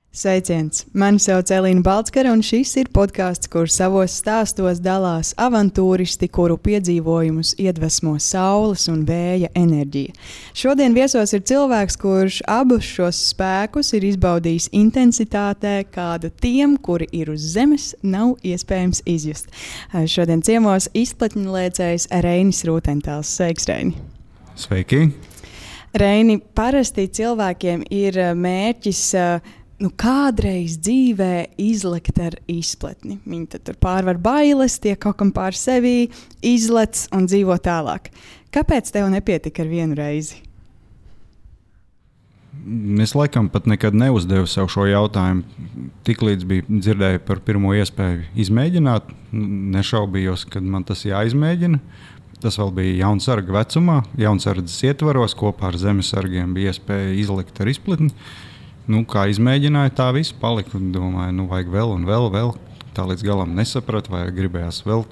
Sveiciens! Mani sauc Elīna Balckara, un šis ir podkāsts, kur savos stāstos dalās avantūristi, kuru piedzīvojumus iedvesmo saules un vēja enerģija. Šodien viesos ir cilvēks, kurš abus šos spēkus ir izbaudījis intensitātē, kādu tiem, kuri ir uz zemes, nav iespējams izjust. Šodien ciemos izplatņlēcējs Reinis Rūtentāls. Sveiks, Reini! Sveiki! Reini, parasti cilvēkiem ir mērķis kādreiz dzīvē izlekt ar izpletni. Viņi tad tur pārvar bailes, tiek kaut kam pār sevi, izlec un dzīvo tālāk. Kāpēc tev nepietika ar vienu reizi? Es laikam pat nekad neuzdevu sev šo jautājumu. Tiklīdz biju dzirdēju par pirmo iespēju izmēģināt, nešaubījos, kad man tas jāizmēģina. Tas vēl bija jaunsarga vecumā, jaunsardzes ietvaros, kopā ar zemesargiem bija iespēja izlekt ar izpletni. Kā izmēģināju, tā viss palika. Domāju, vajag vēl un vēl. Tā līdz galam nesapratu, vai gribējās vēl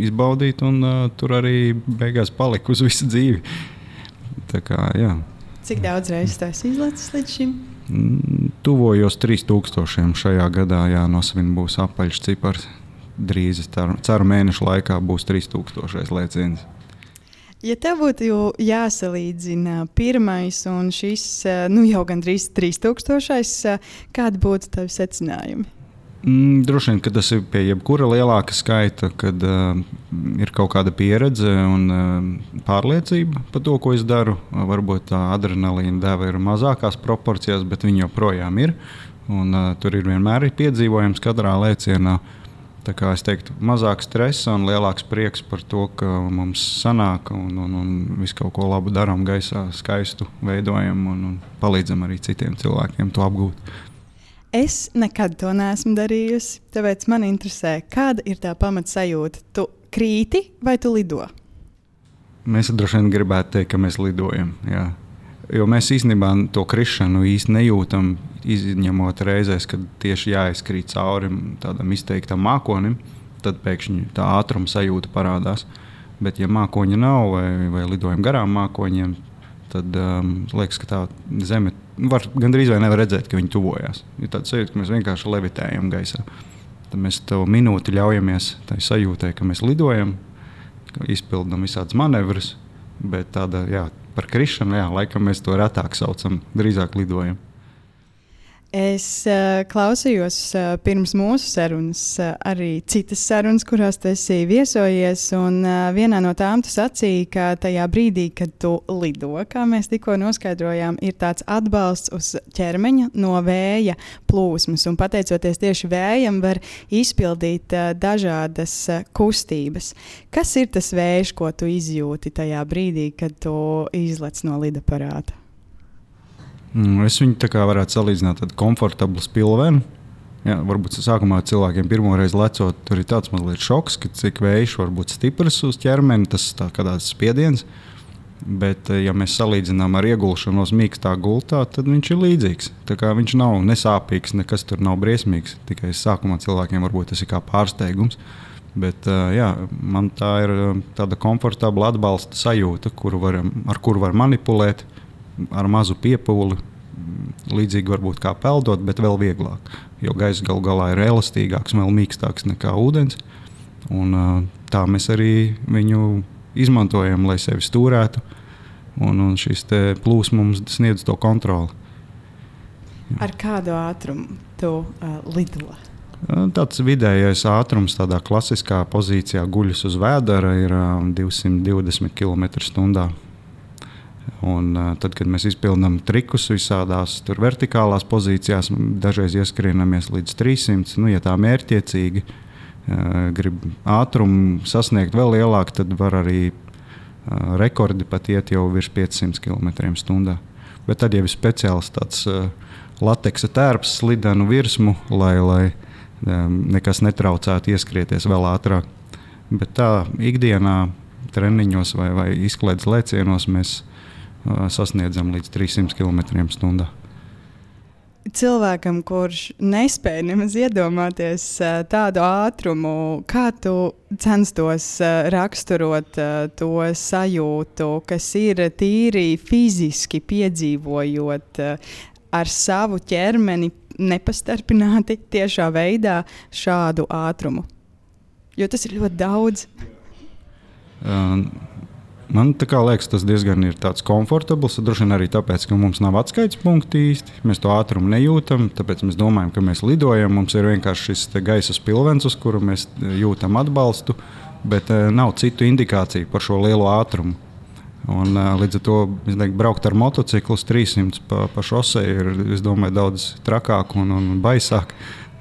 izbaudīt, un tur arī beigās palika uz visu dzīvi. Tā kā, jā. Cik daudz reizes tu esi izlecis līdz šim? Tuvojos 3000 šajā gadā, jānosvin būs apaļš cipars. Drīz, ceru mēnešu laikā būs 3000 lēciens. Ja tev būtu jāsalīdzina pirmais un šis jau gandrīz 3000, kādi būtu tavi secinājumi? Droši vien, ka tas ir pie jebkura lielāka skaita, kad ir kaut kāda pieredze un pārliecība par to, ko es daru. Varbūt tā adrenalīna deva ir mazākās proporcijās, bet viņa joprojām ir. Un, tur ir vienmēr piedzīvojams katrā lēcienā. Tā kā es teiktu, mazāk stresa un lielāks prieks par to, ka mums sanāk un visu kaut ko labu darām gaisā, skaistu veidojam un palīdzam arī citiem cilvēkiem to apgūt. Es nekad to neesmu darījusi, tāpēc man interesē, kāda ir tā pamatsajūta. Tu krīti vai tu lido? Mēs droši vien gribētu teikt, ka mēs lidojam, jā. Jo mēs īstenībā to krišanu īsti nejūtam, izņemot reizēs, kad tieši jāizkrīt cauri tādam izteiktam mākonim, tad pēkšņi tā ātruma sajūta parādās. Bet ja mākoņa nav vai lidojam garām mākoņiem, tad liekas, ka tā zeme gandrīz vai nevar redzēt, ka viņi tuvojās. Ir tāds sajūta, ka mēs vienkārši levitējam gaisā. Tad mēs to minūti ļaujamies tai sajūtai, ka mēs lidojam, ka izpildam visādas manevras, bet tāda, par krišanu, laikam mēs to retāk saucam, drīzāk lidojam. Es klausījos pirms mūsu sarunas arī citas sarunas, kurās tu esi viesojies, un vienā no tām tu sacīji, ka tajā brīdī, kad tu lido, kā mēs tikko noskaidrojām, ir tāds atbalsts uz ķermeņa no vēja plūsmas, un pateicoties tieši vējam var izpildīt dažādas kustības. Kas ir tas vējš, ko tu izjūti tajā brīdī, kad tu izlec no lidaparāta? Es viņu tā kā varētu salīdzināt tādu komfortablu spilvenu. Varbūt sākumā cilvēkiem pirmoreiz lecot, tur ir tāds mazliet šoks, ka cik vējš var būt stiprs uz ķermeni, tas tā kā tāds spiediens. Bet, ja mēs salīdzinām ar iegulšanos mīkstā gultā, tad viņš ir līdzīgs. Tā kā viņš nav nesāpīgs, nekas tur nav briesmīgs. Tikai sākumā cilvēkiem varbūt tas ir kā pārsteigums. Bet, man tā ir tāda komfortabla atbalsta sajūta, ar kuru var manipulēt. Ar mazu piepūli, līdzīgi varbūt kā peldot, bet vēl vieglāk. Jo gaisa galu galā ir elastīgāks, vēl mīkstāks nekā ūdens. Un tā mēs arī viņu izmantojam, lai sevi stūrētu. Un šis te plūsma mums sniedz to kontroli. Ar kādu ātrumu tu lido? Tāds vidējais ātrums tādā klasiskā pozīcijā guļas uz vēdera ir 220 km/h. Un tad, kad mēs izpildām trikus visādās vertikālās pozīcijās, dažreiz ieskrienamies līdz 300. Ja tā mērķtiecīgi grib ātrumu sasniegt vēl lielāk, tad var arī rekordi pat iet jau virs 500 km/h. Bet tad jau ir speciāls tāds lateksa tērps slidenu virsmu, lai nekas netraucētu ieskrieties vēl ātrāk. Bet tā ikdienā treniņos vai izklaides lēcienos mēs sasniedzam līdz 300 km/h. Cilvēkam, kurš nespēja nemaz iedomāties tādu ātrumu, kā tu censtos raksturot to sajūtu, kas ir tīri fiziski piedzīvojot ar savu ķermeni nepastarpināti tiešā veidā šādu ātrumu? Jo tas ir ļoti daudz. Man liekas, tas diezgan ir komfortabls. Droši vien arī tāpēc, ka mums nav atskaites punkti īsti. Mēs to ātrumu nejūtam, tāpēc mēs domājam, ka mēs lidojam. Mums ir vienkārši šis gaisa spilvens, uz kuru mēs jūtam atbalstu, bet nav citu indikāciju par šo lielo ātrumu. Un, līdz ar to braukt ar motociklu uz 300 pa šosei ir, es domāju, daudz trakāk un baisāk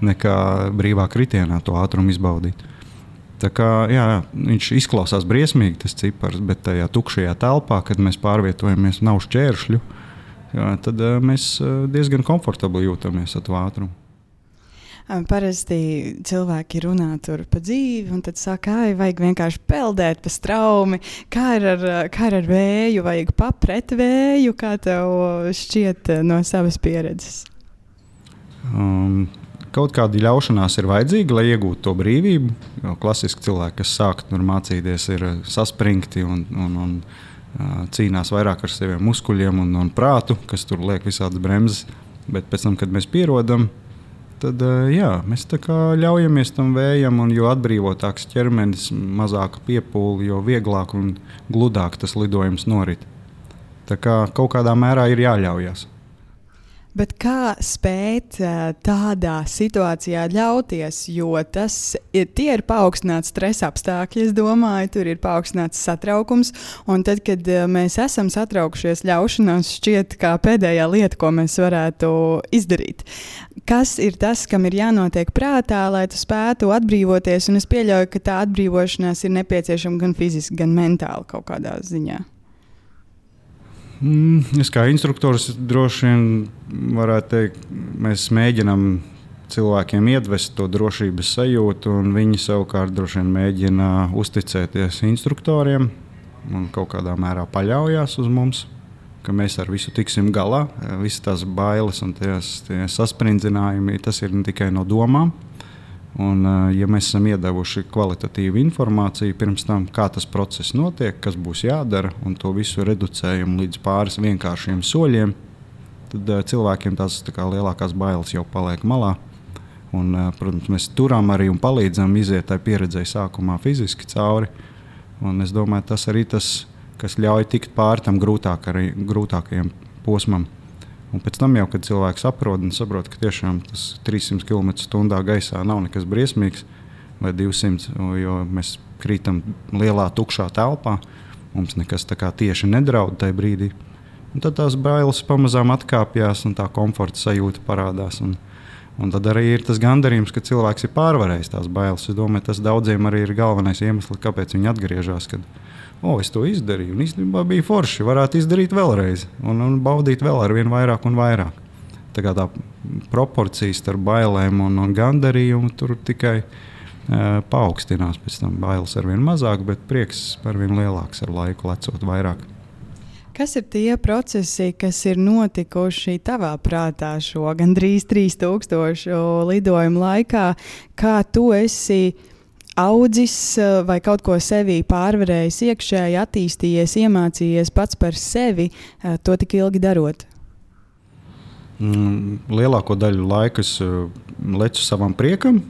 nekā brīvā kritienā to ātrumu izbaudīt. Tā kā, jā, viņš izklausās briesmīgi, tas cipars, bet tajā tukšajā telpā, kad mēs pārvietojamies, nav šķēršļu, jā, tad mēs diezgan komfortabli jūtamies ar to ātrumu. Parasti cilvēki runā tur pa dzīvi, un tad saka, vajag vienkārši peldēt pa straumi. Kā ir ar vēju, vajag papret vēju, kā tev šķiet no savas pieredzes? Kaut kāda ļaušanās ir vajadzīga, lai iegūtu to brīvību. Jo klasiski cilvēki, kas sāk mācīties, ir saspringti un cīnās vairāk ar saviem muskuļiem un prātu, kas tur liek visādas bremzes. Bet pēc tam, kad mēs pierodam, tad jā, mēs tā kā ļaujamies tam vējam, un jo atbrīvotāks ķermenis, mazāka piepūle, jo vieglāk un gludāk tas lidojums norit. Tā kā kaut kādā mērā ir jāļaujas. Bet kā spēt tādā situācijā ļauties, jo tie ir paaugstināts stresa apstākļi, es domāju, tur ir paaugstināts satraukums, un tad, kad mēs esam satraukušies, ļaušanās šķiet kā pēdējā lieta, ko mēs varētu izdarīt. Kas ir tas, kam ir jānotiek prātā, lai tu spētu atbrīvoties, un es pieļauju, ka tā atbrīvošanās ir nepieciešama gan fiziski, gan mentāli kaut kādā ziņā? Es kā instruktors droši vien varētu teikt, mēs mēģinām cilvēkiem iedvest to drošības sajūtu, un viņi savukārt droši vien mēģina uzticēties instruktoriem un kaut kādā mērā paļaujās uz mums, ka mēs ar visu tiksim galā. Visas tās bailes un tie saspringzinājumi, tas ir ne tikai no domām. Un, ja mēs esam iedevuši kvalitatīvu informāciju pirms tam, kā tas process notiek, kas būs jādara, un to visu reducējam līdz pāris vienkāršiem soļiem, tad cilvēkiem tās lielākās bailes jau paliek malā. Un, protams, mēs turam arī un palīdzam iziet tai pieredzei sākumā fiziski cauri. Un es domāju, tas arī tas, kas ļauj tikt pāri tam grūtākajam posmam. Un pēc tam jau, kad cilvēks saprot, ka tiešām tas 300 km/h gaisā nav nekas briesmīgs, vai 200, jo mēs krītam lielā tukšā telpā, mums nekas tā kā tieši nedraud tajā brīdī. Un tad tās bailes pamazām atkāpjas un tā komforta sajūta parādās. Un tad arī ir tas gandarījums, ka cilvēks ir pārvarējis tās bailes. Es domāju, tas daudziem arī ir galvenais iemesls, kāpēc viņi atgriežas. Es to izdarīju, un īstenībā bija forši. Varētu izdarīt vēlreiz un baudīt vēl ar vien vairāk un vairāk. Tā proporcijas starp bailēm un gandarījumu tur tikai paaugstinās. Pēc tam bailes ar vien mazāk, bet prieks ar vien lielāks ar laiku lecot vairāk. Kas ir tie procesi, kas ir notikuši tavā prātā šo gandrīz 3000 lidojumu laikā, kā tu esi audzis vai kaut ko sevī pārvarējis iekšēji, attīstījies, iemācījies pats par sevi, to tik ilgi darot? Lielāko daļu laika es lecu savam priekam,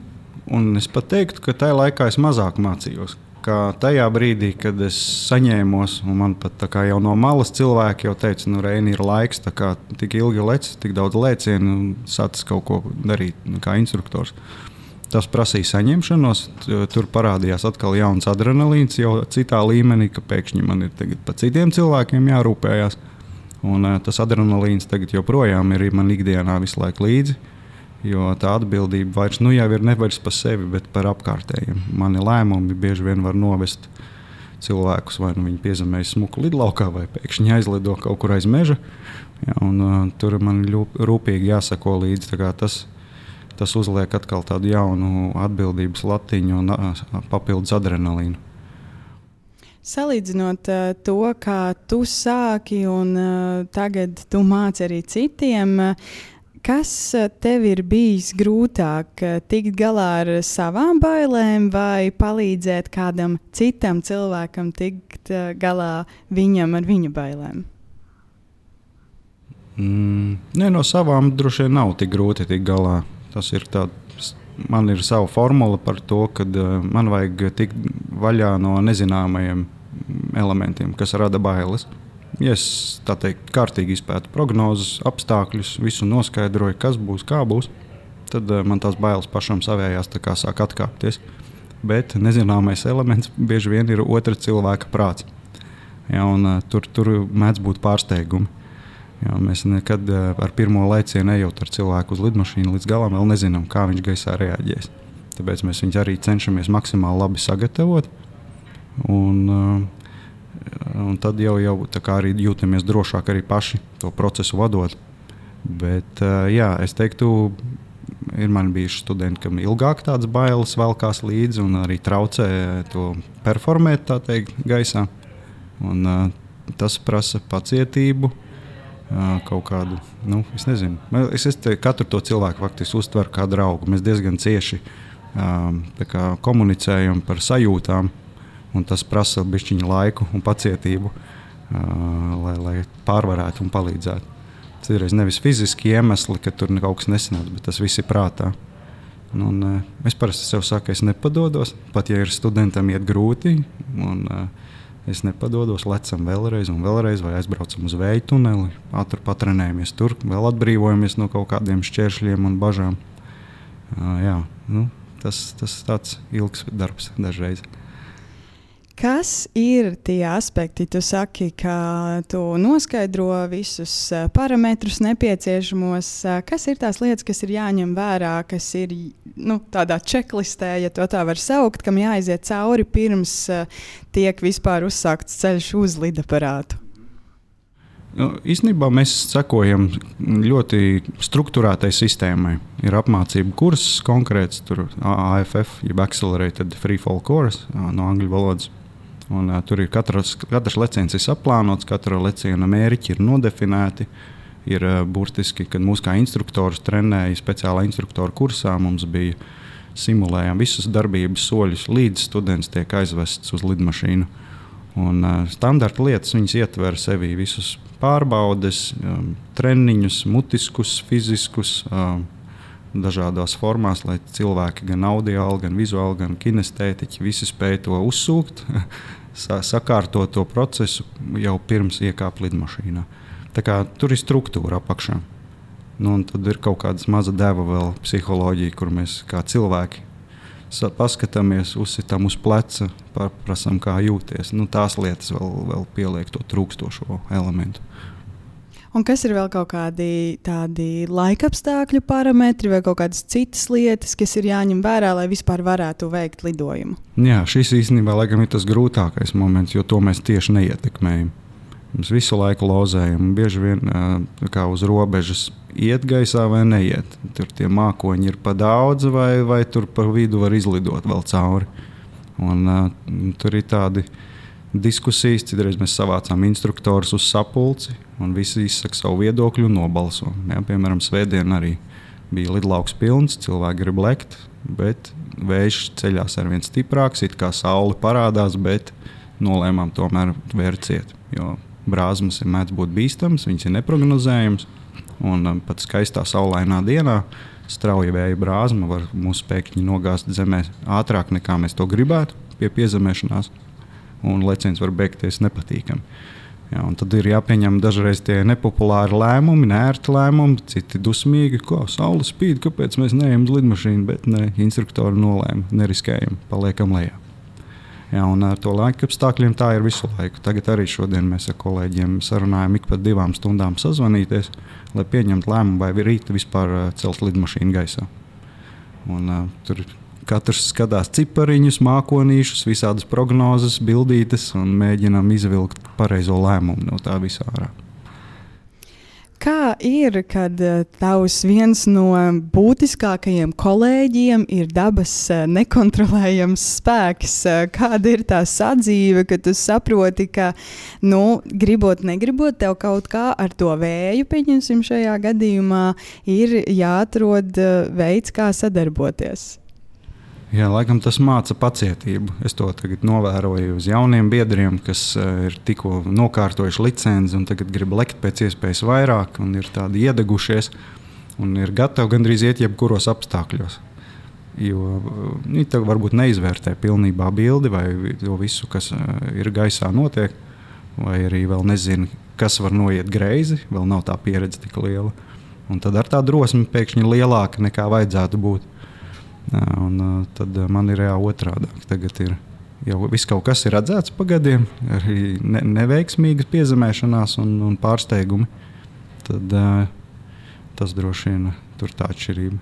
un es pat teiktu, ka tajā laikā es mazāk mācījos. Kā tajā brīdī, kad es saņēmos, un man pat jau no malas cilvēki jau teica, Reini, ir laiks, tik ilgi lec, tik daudz lēcienu, un sācis kaut ko darīt kā instruktors. Tas prasīja saņemšanos, tur parādījās atkal jauns adrenalīns, jau citā līmenī, ka pēkšņi man ir tagad par citiem cilvēkiem jārūpējās. Un tas adrenalīns tagad joprojām ir man ikdienā visu laiku līdzi, jo tā atbildība vairs jau ir nevis par sevi, bet par apkārtējiem. Mani lēmumi bieži vien var novest cilvēkus, vai viņi piezemējas smuku lidlaukā, vai pēkšņi aizlido kaut kur aiz meža. Ja, tur man rūpīgi jāsako līdzi. Tas uzliek atkal tādu jaunu atbildības latiņu un papildus adrenalīnu. Salīdzinot to, kā tu sāki un tagad tu māci arī citiem, kas tev ir bijis grūtāk, tikt galā ar savām bailēm vai palīdzēt kādam citam cilvēkam tikt galā viņam ar viņa bailēm? Nē, no savām droši vien nav tik grūti tikt galā. Tas ir man ir sava formula par to, ka man vajag tikt vaļā no nezināmajiem elementiem, kas rada bailes. Ja es tā teikt, kārtīgi izpētu prognozes, apstākļus, visu noskaidroju, kas būs, kā būs, tad man tās bailes pašam savējās sāk atkāpties. Bet nezināmais elements bieži vien ir otra cilvēka prāts. Ja, tur mēdz būt pārsteigumi. Ja, mēs nekad ar pirmo lēcienu ejot ar cilvēku uz lidmašīnu līdz galam vēl nezinām, kā viņš gaisā reaģēs. Tāpēc mēs viņus arī cenšamies maksimāli labi sagatavot. Un tad jau tā kā arī jūtamies drošāk arī paši to procesu vadot. Bet jā, es teiktu, ir man bijuši studenti, kam ilgāk tādas bailes velkās līdzi un arī traucē to performēt, tā teikt, gaisā. Un tas prasa pacietību, kaut kādu, es nezinu. Es katru to cilvēku faktiski uztveru kā draugu. Mēs diezgan cieši komunicējam par sajūtām, un tas prasa bišķiņu laiku un pacietību, lai pārvarētu un palīdzētu. Citreiz nevis fiziski iemesli, ka tur kaut kas nesanāca, bet tas viss ir prātā. Es parasti sev saku, es nepadodos, pat ja ir studentam iet grūti, un es nepadodos, lecam vēlreiz un vēlreiz, vai aizbraucam uz vēju tuneli, ātri patrenējamies tur, vēl atbrīvojamies no kaut kādiem šķēršļiem un bažām. Tas tāds ilgs darbs dažreiz. Kas ir tie aspekti? Tu saki, ka tu noskaidro visus parametrus nepieciešamos. Kas ir tās lietas, kas ir jāņem vērā, kas ir tādā čeklistē, ja to tā var saukt, kam jāaiziet cauri pirms tiek vispār uzsākts ceļš uz lidaparātu? Īstenībā mēs sekojam ļoti strukturētai sistēmai. Ir apmācību kurs konkrēts, tur AFF, jeb Accelerated Freefall Course no angļu valodas. Un, tur ir katrs leciens ir saplānots, katra leciena mērķi ir nodefinēti. Ir burtiski, kad mūs kā instruktorus trenēja speciālā instruktora kursā, mums bija simulējām visus darbības soļus, līdz students tiek aizvests uz lidmašīnu. Un, standarta lietas viņas ietver sevī visus pārbaudes, treniņus, mutiskus, fiziskus, dažādās formās, lai cilvēki gan audiāli, gan vizuāli, gan kinestētiķi visi spēj to uzsūkt, sakārtot to procesu jau pirms iekāp lidmašīnā. Tā kā tur ir struktūra apakšā. Un tad ir kaut kāda maza deva vēl psiholoģija, kur mēs kā cilvēki paskatāmies, uzsitam uz pleca, prasām, kā jūties. Tās lietas vēl pieliek to trūkstošo elementu. Un kas ir vēl kaut kādi tādi laikapstākļu parametri vai kaut kādas citas lietas, kas ir jāņem vērā, lai vispār varētu veikt lidojumu? Jā, šis īstenībā laikam ir tas grūtākais moments, jo to mēs tieši neietekmējam. Mēs visu laiku lozējam, bieži vien kā uz robežas iet gaisā vai neiet. Tur tie mākoņi ir pa daudz vai tur pa vidu var izlidot vēl cauri. Un tur ir tādi diskusijas, citreiz mēs savācām instruktorus uz sapulci un visi izsaka savu viedokļu un nobalso. Ja, piemēram, svētdien arī bija lidlauks pilns, cilvēki grib lekt, bet vējš ceļās arvien stiprāks, it kā saule parādās, bet nolēmām tomēr vērciet, jo brāzmas mēdz būt bīstams, viņas ir neprognozējams, un pat skaistā saulainā dienā strauja vēja brāzma var mūsu pēkšņi nogāzt zemē ātrāk nekā mēs to gribētu pie piezemēšanās, un leciens var beigties nepatīkami. Ja, un tad ir jāpieņem dažreiz tie nepopulāri lēmumi, neērti lēmumi, citi dusmīgi, ko saule spīd, kāpēc mēs neejam uz lidmašīnu, bet ne, instruktori nolēma, neriskējam, paliekam lejā. Ja, un ar to laikapstākļiem tā ir visu laiku. Tagad arī šodien mēs ar kolēģiem sarunājam ik pa 2 stundām sazvanīties, lai pieņemtu lēmumu, vai rīt vispār celt lidmašīnu gaisā. Un tur katrs skatās cipariņus, mākonīšus, visādas prognozes, bildītes un mēģinām izvilkt pareizo lēmumu no tā visā ārā. Kā ir, kad tavs viens no būtiskākajiem kolēģiem ir dabas nekontrolējams spēks? Kāda ir tā sadzīve, kad tu saproti, ka, gribot, negribot, tev kaut kā ar to vēju, pieņemsim šajā gadījumā, ir jāatrod veids, kā sadarboties? Jā, laikam tas māca pacietību. Es to tagad novēroju uz jauniem biedriem, kas ir tikko nokārtojuši licenci un tagad grib lekt pēc iespējas vairāk un ir tādi iedegušies un ir gatavi gandrīz iet jebkuros apstākļos. Jo viņi varbūt neizvērtē pilnībā bildi vai to visu, kas ir gaisā notiek, vai arī vēl nezina, kas var noiet greizi, vēl nav tā pieredze tik liela. Un tad ar tā drosme pēkšņi lielāka nekā vajadzētu būt. Un tad man ir otrādāk. Tagad ir jau viss kaut kas ir redzēts pa gadiem, arī neveiksmīgas piezemēšanās un pārsteigumi. Tad tas droši vien tur tā atšķirība.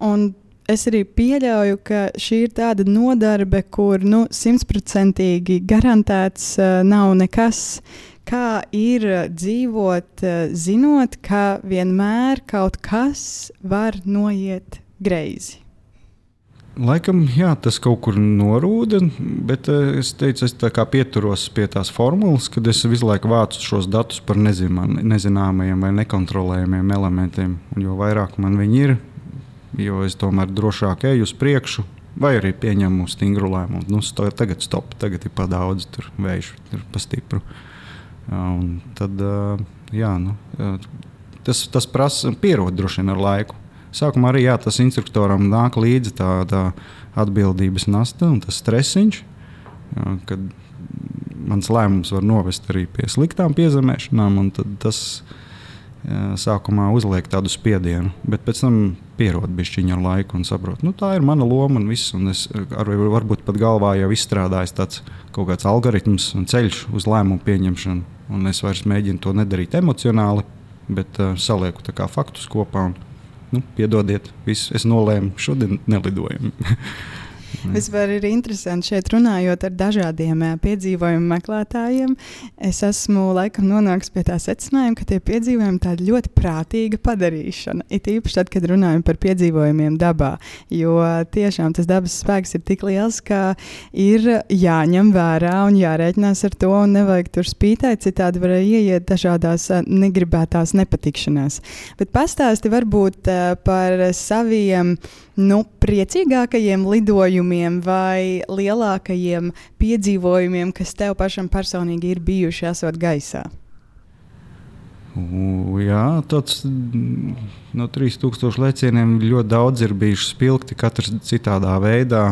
Un es arī pieļauju, ka šī ir tāda nodarbe, kur 100% garantēts nav nekas. Kā ir dzīvot, zinot, ka vienmēr kaut kas var noiet greizi? Laikam, jā, tas kaut kur norūda, bet es teicu, es tā kā pieturos pie tās formulas, kad es visu laiku vācu šos datus par nezināmajiem vai nekontrolējumiem elementiem. Un jo vairāk man viņi ir, jo es tomēr drošāk eju uz priekšu, vai arī pieņemu stingru lēmumu. Tagad stop, tagad ir pa daudz, tur vējš, tur pa stipru. Un tad, jā, tas prasa pierod droši vien ar laiku. Sākumā arī tas instruktoram nāk līdzi tā atbildības nasta un tas stresiņš, kad mans lēmums var novest arī pie sliktām piezemēšanām, un tad tas sākumā uzliek tādu spiedienu, bet pēc tam pierod bišķiņu ar laiku un saprot, tā ir mana loma un viss, un es varbūt pat galvā jau izstrādājis tāds kaut kāds algoritms un ceļš uz lēmumu pieņemšanu, un es vairs mēģinu to nedarīt emocionāli, bet salieku tā kā faktus kopā un piedodiet, visu, es nolēmu, šodien nelidojam. Vispār ir interesanti šeit runājot ar dažādiem piedzīvojumu meklētājiem. Es esmu laikam nonākusi pie tā secinājuma, ka tie piedzīvojumi tāda ļoti prātīga padarīšana. It īpaši tad, kad runājam par piedzīvojumiem dabā, jo tiešām tas dabas spēks ir tik liels, ka ir jāņem vērā un jārēķinās ar to un nevajag tur spītēt, citādi var ieiet dažādās negribētās nepatikšanās. Bet pastāsti varbūt par saviem priecīgākajiem lidojumiem vai lielākajiem piedzīvojumiem, kas tev pašam personīgi ir bijuši esot gaisā? Jā, tāds no 3000 lēcieniem ļoti daudz ir bijuši spilgti, katrs citādā veidā.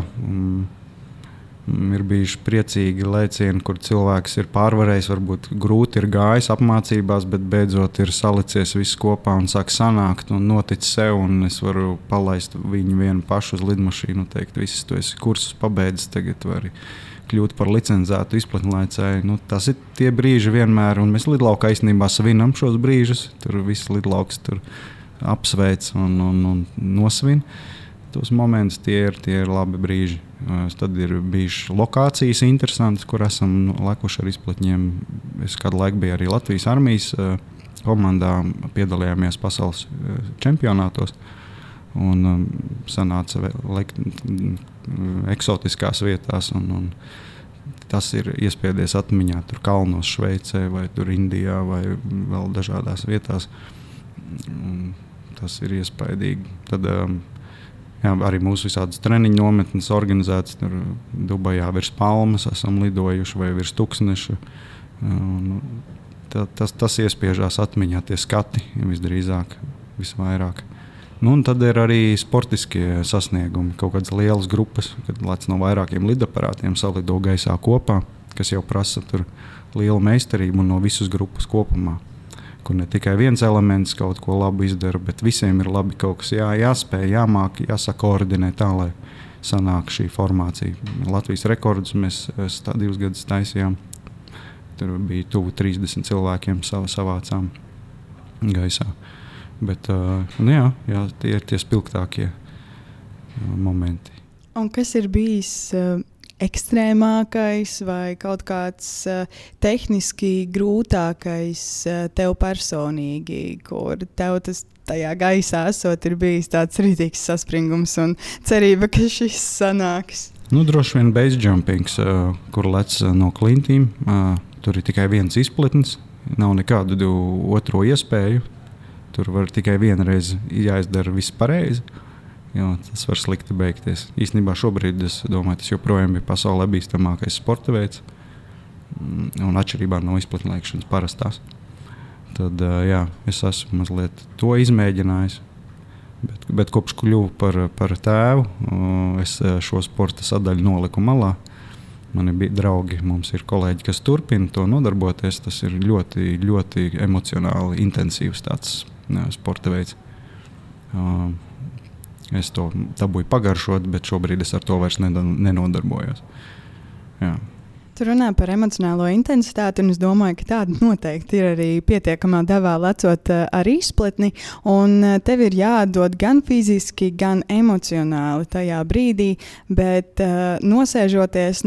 Ir bijuši priecīgi lēcieni, kur cilvēks ir pārvarējis, varbūt grūti ir gājis apmācībās, bet beidzot ir salicies viss kopā un sāk sanākt un notic sev, un es varu palaist viņu vienu pašu uz lidmašīnu, teikt, viss, tu esi kursus pabeidzis, tagad vari kļūt par licencētu izplatnlaicēju. Tas ir tie brīži vienmēr, un mēs lidlaukā īstenībā svinam šos brīžus, tur viss lidlauks tur apsveic un nosvin. Tos momentus tie ir labi brīži. Tad ir bijušas lokācijas interesantas, kur esam lekuši ar izplatņiem. Es kādu laiku biju arī Latvijas armijas komandā, piedalījāmies pasaules čempionātos un sanāca eksotiskās vietās. Un tas ir iespiedies atmiņā tur kalnos Šveicē vai tur Indijā vai vēl dažādās vietās. Un tas ir iespaidīgi. Tad jā, arī mūsu visādas treniņu nometnes organizētas tur Dubajā virs Palmas esam lidojuši vai virs Tuksneša. Tas iespiežās atmiņā tie skati visdrīzāk, visvairāk. Un tad ir arī sportiskie sasniegumi, kaut kādas lielas grupas, kad lec no vairākiem lidaparātiem salido gaisā kopā, kas jau prasa tur lielu meistarību un no visas grupas kopumā. Kur ne tikai viens elements kaut ko labu izdara, bet visiem ir labi kaut kas jāspēj, jāmāk, jāsakoordinē tā, lai sanāk šī formācija. Latvijas rekordus mēs 2 gadus taisījām. Tur bija tuvu 30 cilvēkiem savācām gaisā. Bet jā, tie ir tie spilgtākie momenti. Un kas ir bijis ekstrēmākais vai kaut kāds tehniski grūtākais tev personīgi, kur tev tas tajā gaisā esot ir bijis tāds rītīgs saspringums un cerība, ka šis sanāks? Droši vien base jumpings, kur lec no klintīm. Tur ir tikai viens izpletnis, nav nekādu otro iespēju. Tur var tikai vienreiz jāizdara viss pareizi. jo tas var slikti beigties. Īstenībā šobrīd es domāju, tas joprojām ir pasaulē bīstamākais sporta veids, un atšķirībā no izplatnēšanas parastās. Tad jā, es esmu mazliet to izmēģinājis, bet kopš kļuvu par tēvu, es šo sporta sadaļu noliku malā. Mani bija draugi, mums ir kolēģi, kas turpina to nodarboties. Tas ir ļoti, ļoti emocionāli intensīvs tāds sporta veids. Es to dabūju pagaršot, bet šobrīd es ar to vairs nenodarbojos. Jā. Tu runā par emocionālo intensitāti, un es domāju, ka tāda noteikti ir arī pietiekamā devā lecot ar izpletni, un tev ir jāatdod gan fiziski, gan emocionāli tajā brīdī, bet nosēžoties,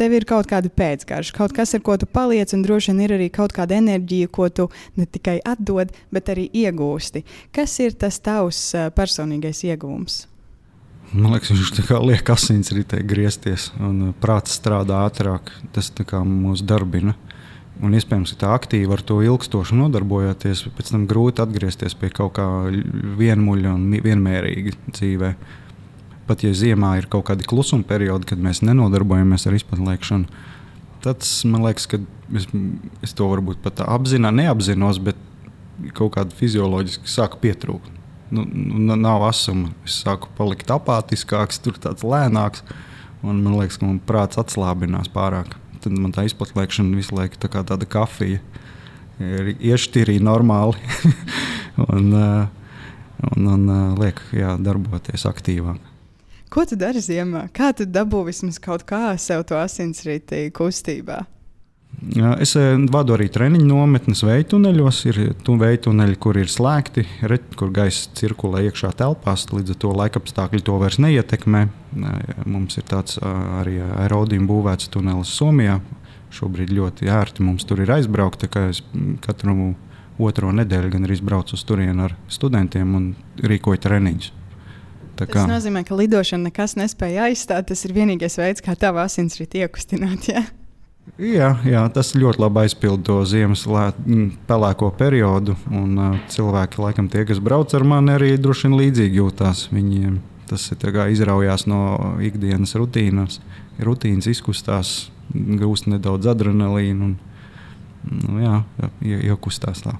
tev ir kaut kāda pēcgarša, kaut kas, ar ko tu paliec, un droši vien ir arī kaut kāda enerģija, ko tu ne tikai atdod, bet arī iegūsti. Kas ir tas tavs personīgais iegūms? Man liekas, viņš tā kā liek asinsritē griezties un prāts strādā ātrāk. Tas tā kā mūs darbina. Un iespējams, ka tā aktīvi ar to ilgstoši nodarbojoties, pēc tam grūti atgriezties pie kaut kā vienmuļa un vienmērīga dzīvē. Pat ja ziemā ir kaut kādi klusuma periodi, kad mēs nenodarbojamies ar izpatnēšanu, tad man liekas, ka es to varbūt pat neapzinos, bet kaut kādi fizioloģiski sāku pietrūkt. Nav asuma. Es sāku palikt apātiskāks, tur tāds lēnāks, un man liekas, ka man prāts atslābinās pārāk. Tad man tā izplatnēšana visu laiku tā kā tāda kafija iešķirīja normāli un liek darboties aktīvāk. Ko tu dari ziemā? Kā tu dabū vismaz kaut kā sev to asinsriti kustībā? Es vadu arī treniņu nometnes vējtuneļos. Ir vējtuneļi, kur ir slēgti, kur gaisa cirkulē iekšā telpās, līdz ar to laikapstākļi to vairs neietekmē. Mums ir tāds arī aerodīm būvēts tunelis Somijā. Šobrīd ļoti ērti mums tur ir aizbraukt, tā kā es katru otro nedēļu gan arī braucu uz turieni ar studentiem un rīkoju treniņus. Tas nozīmē, ka lidošana nekas nespēja aizstāt. Tas ir vienīgais veids, kā tavu asinsriti iekustināt, ja? Jā, tas ļoti labi aizpild to ziemas pelēko periodu. Cilvēki, laikam, tie, kas brauc ar mani, arī droši vien līdzīgi jūtās. Viņiem tas ir izraujās no ikdienas rutīnas, izkustās, gūst nedaudz adrenalīnu un iekustās tā.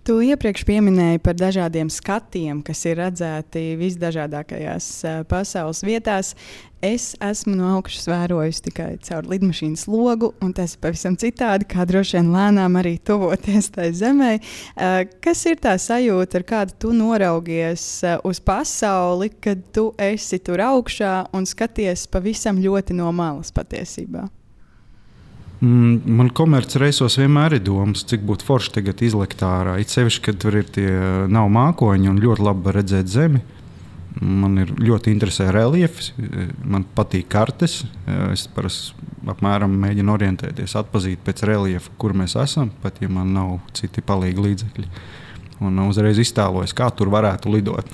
Tu iepriekš pieminēji par dažādiem skatiem, kas ir redzēti visdažādākajās pasaules vietās. Es esmu no augšas vērojusi tikai caur lidmašīnas logu, un tas ir pavisam citādi, kā droši vien lēnām arī tuvoties tai zemē. Kas ir tā sajūta, ar kādu tu noraugies uz pasauli, kad tu esi tur augšā un skaties pavisam ļoti no malas patiesībā? Man komercreisos vienmēr ir domas, cik būtu forši tagad izlikt ārā. It sevišķi, kad tur ir tie nav mākoņi un ļoti labi redzēt zemi. Man ir ļoti interesē reljefs, man patīk kartes. Es apmēram mēģinu orientēties, atpazīt pēc reljefa, kur mēs esam, pat ja man nav citi palīgi līdzekļi. Un uzreiz iztēlojos, kā tur varētu lidot.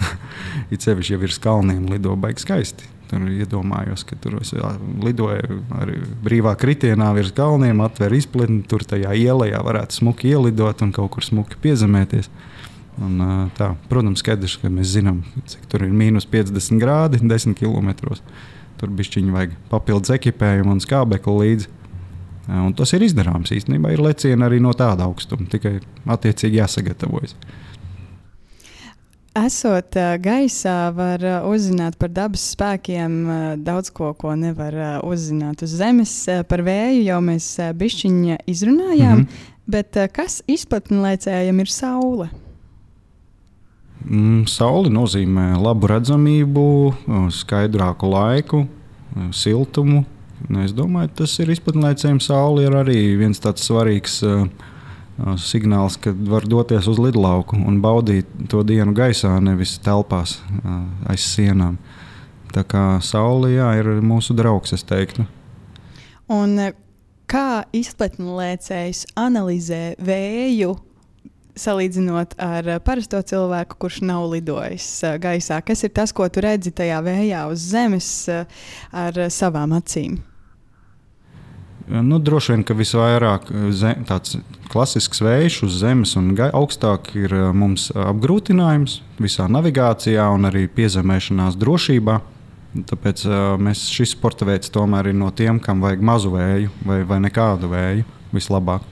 It sevišķi, ja virs kalniem lido baigi skaisti. Tur iedomājos, ka tur lidoju arī brīvā kritienā virs kalniem, atver izpletni, tur tajā ielajā varētu smuki ielidot un kaut kur smuki piezemēties. Un, tā, protams, skaidrs, ka mēs zinām, cik tur ir -50 grādi 10 kilometros. Tur bišķiņi vajag papildus ekipējumu un skābekli līdzi. Un tas ir izdarāms. Īstenībā ir lecieni arī no tāda augstuma, tikai attiecīgi jāsagatavojas. Esot gaisā, var uzzināt par dabas spēkiem daudz ko nevar uzzināt uz zemes. Par vēju jau mēs bišķiņi izrunājām, bet kas izplatnlēcējam ir saule? Saule nozīmē labu redzamību, skaidrāku laiku, siltumu. Es domāju, tas ir izplatnlēcējiem. Saule ir arī viens tāds svarīgs signāls, kad var doties uz lidlauku un baudīt to dienu gaisā, nevis telpās aiz sienām. Tā kā saule ir mūsu draugs, es teiktu. Un kā izplatnlēcējs analizē vēju, salīdzinot ar parasto cilvēku, kurš nav lidojis gaisā? Kas ir tas, ko tu redzi tajā vējā uz zemes ar savām acīm? Droši vien, ka visvairāk tāds klasisks vējš uz zemes un augstāk ir mums apgrūtinājums visā navigācijā un arī piezemēšanās drošībā. Tāpēc šis sporta veids tomēr ir no tiem, kam vajag mazu vēju vai nekādu vēju vislabāk.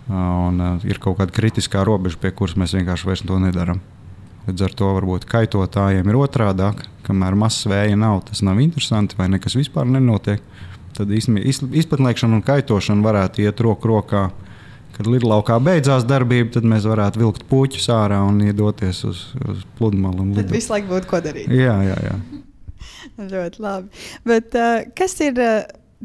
Un ir kaut kāda kritiskā robeža, pie kuras mēs vienkārši vairs to nedaram. Līdz ar to varbūt kaitotājiem ir otrādāk, kamēr mazs vēja nav, tas nav interesanti vai nekas vispār nenotiek. Tad izpatniekšana un kaitošana varētu iet roku rokā. Kad lidlaukā beidzās darbība, tad mēs varētu vilkt puķus ārā un iedoties uz pludmali. Tad visu laiku būtu ko darīt. Jā. Ļoti labi. Bet kas ir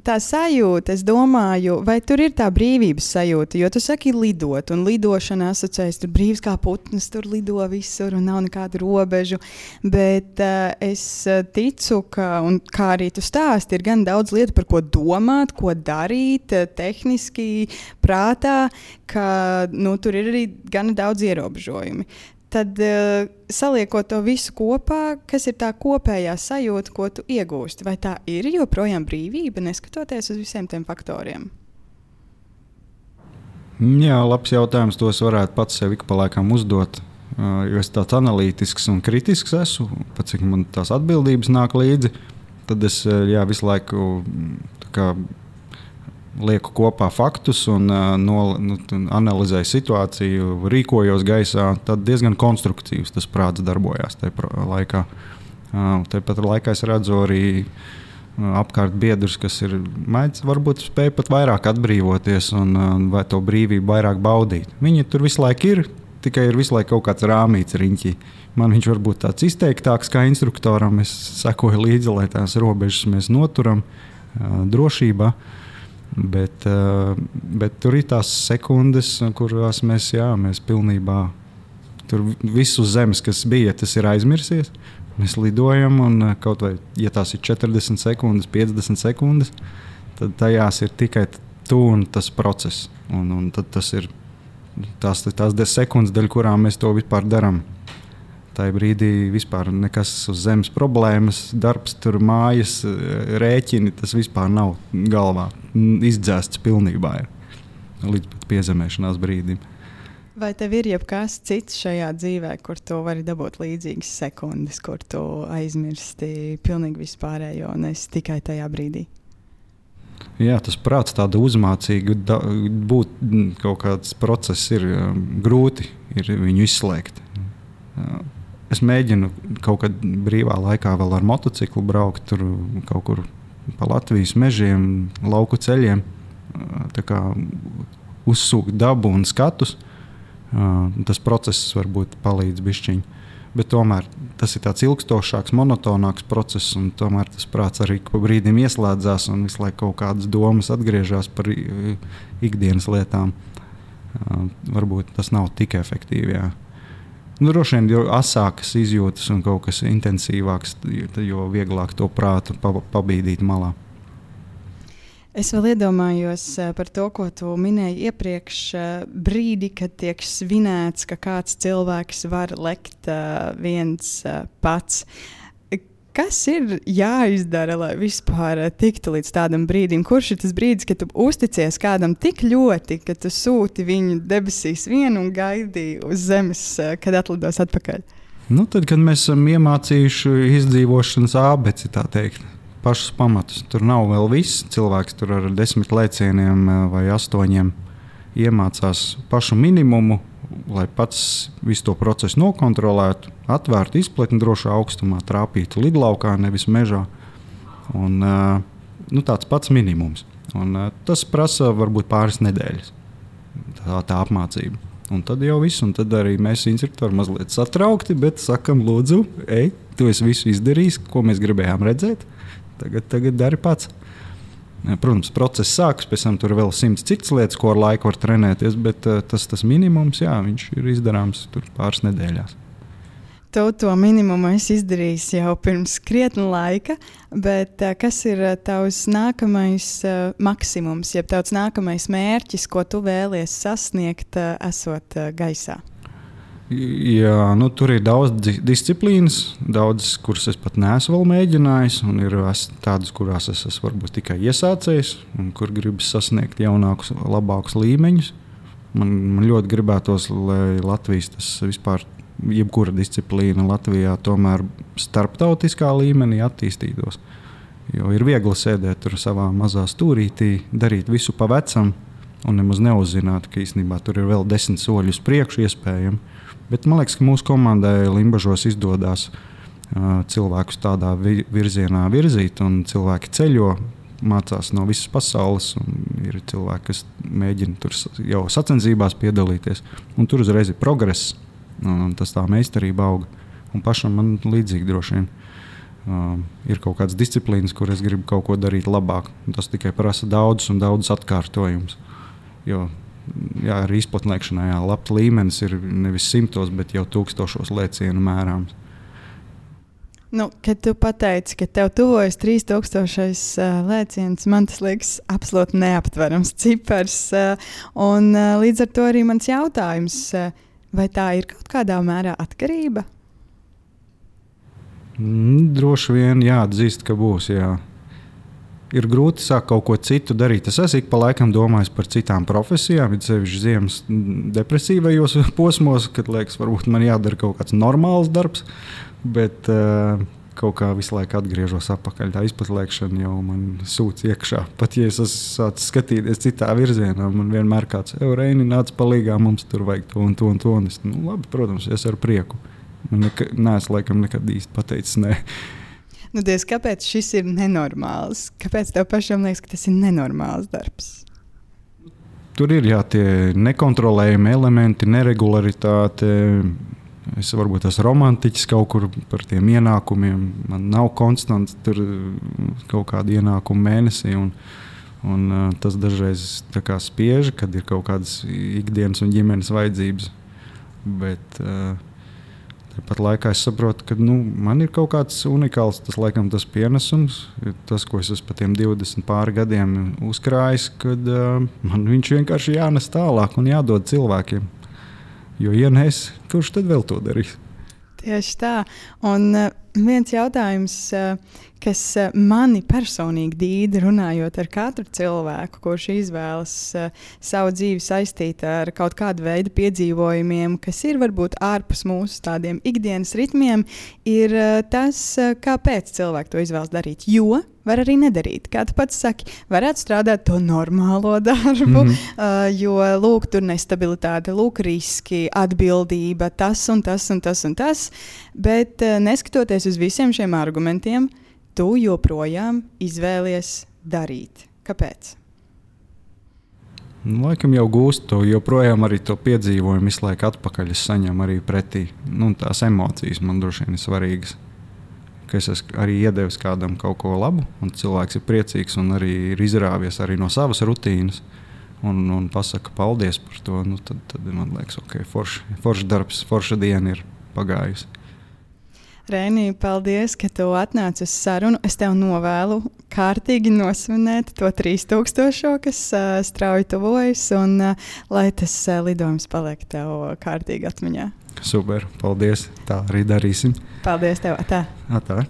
tā sajūta, es domāju, vai tur ir tā brīvības sajūta? Jo tu saki lidot, un lidošana asociējas tur brīvs kā putns, tur lido visur un nav nekādu robežu. Bet es ticu, ka, un kā arī tu stāsti, ir gan daudz lietu, par ko domāt, ko darīt, tehniski, prātā, ka tur ir arī gan daudz ierobežojumi. Tad saliekot to visu kopā, kas ir tā kopējā sajūta, ko tu iegūsti? Vai tā ir joprojām brīvība, neskatoties uz visiem tiem faktoriem? Jā, labs jautājums. Tos varētu pats sev ik pa laikam uzdot. Jo es tāds analītisks un kritisks esmu, pat cik man tās atbildības nāk līdzi, tad es visu laiku lieku kopā faktus un analizēju situāciju, rīkojos gaisā. Tad diezgan konstruktīvs tas prāts darbojās tajā laikā. Tāpat laikā es redzu arī apkārt biedrus, kas ir mēdz, varbūt spēj pat vairāk atbrīvoties un vai to brīvību vairāk baudīt. Viņi tur visu laiku ir, tikai ir visu laiku kaut kāds rāmīts riņķī. Man viņš varbūt tāds izteiktāks kā instruktoram. Es sekoju līdzi, lai tās robežas mēs noturam drošībā. Bet tur ir tās sekundes, kurās mēs pilnībā tur viss uz zemes, kas bija, tas ir aizmirsies. Mēs lidojam, un kaut vai, ja tās ir 40 sekundes, 50 sekundes, tad tajās ir tikai tu un tas process. Un tad tas ir tās 10 sekundes, daļ kurām mēs to vispār darām. Tā brīdī vispār nekas uz zemes problēmas, darbs, tur mājas, rēķini, tas vispār nav galvā. Izdzēsts pilnībā ir līdz pat piezemēšanās brīdim. Vai tev ir jebkas cits šajā dzīvē, kur tu vari dabūt līdzīgas sekundes, kur tu aizmirsti pilnīgi vispārējo un esi tikai tajā brīdī? Jā, tas prāts tāda uzmācīga būt kaut kāds process ir grūti ir viņu izslēgt. Es mēģinu kaut kad brīvā laikā vēl ar motociklu braukt tur kaut kur pa Latvijas mežiem, lauku ceļiem, tā kā uzsūkt dabu un skatus. Tas process varbūt palīdz bišķiņ. Bet tomēr tas ir tāds ilgstošāks, monotonāks process, un tomēr tas prāts arī pa brīdim ieslēdzās un visu laiku kaut kādas domas atgriežas par ikdienas lietām. Varbūt tas nav tik efektīvi, jā. Droši vien, jo asākas izjūtas un kaut kas intensīvāks, jo vieglāk to prātu pabīdīt malā. Es vēl iedomājos par to, ko tu minēji iepriekš, brīdi, kad tiek svinēts, ka kāds cilvēks var lekt viens pats. Kas ir jāizdara, lai vispār tiktu līdz tādam brīdim? Kurš ir tas brīdis, kad tu uzticies kādam tik ļoti, ka tu sūti viņu debesīs vienu un gaidi uz zemes, kad atlidos atpakaļ? Tad, kad mēs esam iemācījuši izdzīvošanas ābeci, tā teikt, pašus pamatus. Tur nav vēl viss. Cilvēks tur ar 10 lēcieniem vai 8 iemācās pašu minimumu, lai pats visu to procesu nokontrolētu, atvērtu izpletni drošā augstumā, trāpītu lidlaukā, nevis mežā. Un, tāds pats minimums. Un, tas prasa varbūt pāris nedēļas, tā apmācība. Un tad jau viss, un tad arī mēs instruktori mazliet satraukti, bet sakam, lūdzu, ej, tu esi visu izdarījis, ko mēs gribējām redzēt, tagad dari pats. Protams, process sākas, pēc tam tur vēl 100 citas lietas, ko ar laiku var trenēties, bet tas minimums, jā, viņš ir izdarāms tur pāris nedēļās. Tu to minimumu esi izdarījis jau pirms krietna laika, bet kas ir tavs nākamais maksimums, jeb tavs nākamais mērķis, ko tu vēlies sasniegt, esot gaisā? Jā, tur ir daudz disciplīnas, daudzas, kuras es pat neesmu vēl mēģinājis, un ir tādas, kurās es esmu varbūt tikai iesācējis, un kur gribas sasniegt jaunākus, labākus līmeņus. Man ļoti gribētos, lai Latvijas tas vispār, jebkura disciplīna Latvijā tomēr starptautiskā līmenī attīstītos. Jo ir viegli sēdēt tur savā mazā stūrītī, darīt visu pa vecam, un nemaz neuzzināt, ka īstenībā tur ir vēl 10 soļi uz priekšu iespējami. Bet man liekas, ka mūsu komandai Limbažos izdodas cilvēkus tādā virzienā virzīt, un cilvēki ceļo, mācās no visas pasaules, un ir cilvēki, kas mēģina tur jau sacensībās piedalīties, un tur uzreiz ir progress, un tas tā meistarība auga. Un pašam man līdzīgi droši vien. Ir kaut kādas disciplīnas, kur es gribu kaut ko darīt labāk. Tas tikai prasa daudzus atkārtojumus. Jo jā, arī izplatnēkšanā labs līmenis ir nevis 100, bet jau 1000 lēcienu mērāms. Kad tu pateici, ka tev tuvojas 3000 lēciens, man tas liekas absolūti neaptverams cipars. Un līdz ar to arī mans jautājums, vai tā ir kaut kādā mērā atkarība? Droši vien jāatzīst, ka būs, jā. Ir grūti sākt kaut ko citu darīt. Es esmu ik pa laikam domājis par citām profesijām, it sevišķi ziemas depresīvajos posmos, kad liekas, varbūt man jādara kaut kāds normāls darbs, bet kaut kā visu laiku atgriežos atpakaļ. Tā izplatniekšana jau man sūc iekšā. Pat ja es esmu sācis skatīties citā virzienā, man vienmēr kāds Reini nāc palīgā, mums tur vajag to un to un to. Un es, labi, protams, es ar prieku. Neesmu laikam nekad īsti pateicis nē. Diez, kāpēc šis ir nenormāls? Kāpēc tev pašam liekas, ka tas ir nenormāls darbs? Tur ir tie nekontrolējami elementi, neregularitāte. Es varbūt esmu romantiķis kaut kur par tiem ienākumiem. Man nav konstants tur kaut kāda ienākuma mēnesī. Un tas dažreiz tā kā spiež, kad ir kaut kādas ikdienas un ģimenes vajadzības. Bet tāpat laikā es saprotu, ka man ir kaut kāds unikāls tas pienesums, tas, ko es esmu pa tiem 20 pāri gadiem uzkrājis, kad man viņš vienkārši jānes tālāk un jādod cilvēkiem. Jo, ja ne es, kurš tad vēl to darīs? Tieši tā. Un viens jautājums, kas mani personīgi dīda, runājot ar katru cilvēku, kurš izvēlas savu dzīvi saistīt ar kaut kādu veidu piedzīvojumiem, kas ir varbūt ārpus mūsu tādiem ikdienas ritmiem, ir tas, kāpēc cilvēki to izvēlas darīt. Jo var arī nedarīt. Kā tu pats saki, varētu strādāt to normālo darbu, jo lūk, tur nestabilitāte, lūk, riski, atbildība, tas un tas un tas un tas. Bet neskatoties uz visiem šiem argumentiem, tu joprojām izvēlies darīt. Kāpēc? Laikam jau gūstu to, joprojām arī to piedzīvojumu visu laiku atpakaļ es saņemu arī pretī. Tās emocijas man droši vien ir svarīgas. Ka es esmu arī iedevis kādam kaut ko labu, un cilvēks ir priecīgs un arī ir izrāvies arī no savas rutīnas un pasaka paldies par to. Tad man liekas, ok, foršs darbs, forša diena ir pagājusi. Reini, paldies, ka tu atnāci uz sarunu. Es tev novēlu kārtīgi nosvinēt to 3000, kas strauji tuvojas, un lai tas lidojums paliek tev kārtīgi atmiņā. Super, paldies. Tā arī darīsim. Paldies tev. Tā. Tā.